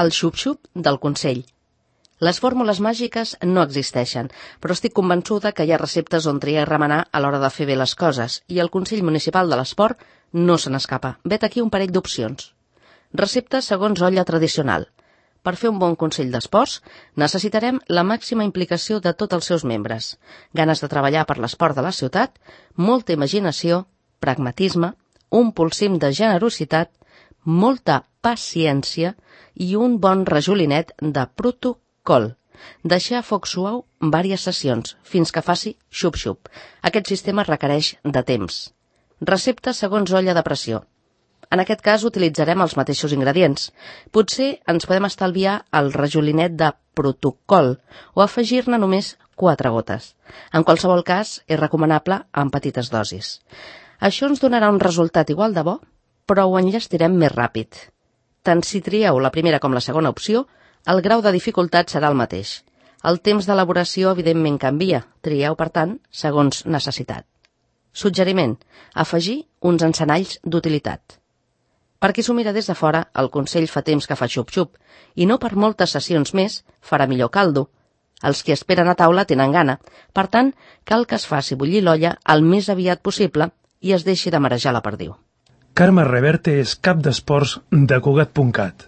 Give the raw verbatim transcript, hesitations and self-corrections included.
el xup-xup del Consell. Les fórmules màgiques no existeixen, però estic convençuda que hi ha receptes on triar i remenar a l'hora de fer bé les coses, i el Consell Municipal de l'Esport no se n'escapa. Vet aquí un parell d'opcions. Receptes segons olla tradicional. Per fer un bon Consell d'Esports necessitarem la màxima implicació de tots els seus membres, ganes de treballar per l'esport de la ciutat, molta imaginació, pragmatisme, un polsim de generositat, molta paciència i un bon rajolinet de protocol. Deixar a foc suau vàries sessions, fins que faci xup-xup. Aquest sistema requereix de temps. Recepta segons olla de pressió. En aquest cas utilitzarem els mateixos ingredients. Potser ens podem estalviar el rajolinet de protocol o afegir-ne només quatre gotes. En qualsevol cas, és recomanable en petites dosis. Això ens donarà un resultat igual de bo, però ho enllestirem més ràpid. Tant si trieu la primera com la segona opció, el grau de dificultat serà el mateix. El temps d'elaboració, evidentment, canvia. Trieu, per tant, segons necessitat. Suggeriment: afegir uns encenalls d'utilitat. Per qui s'ho mira des de fora, el Consell fa temps que fa xup-xup, i no per moltes sessions més farà millor caldo. Els qui esperen a taula tenen gana, per tant, cal que es faci bullir l'olla el més aviat possible i es deixi de marejar la perdiu. Carme Reverte és cap d'esports de Cugat punt cat.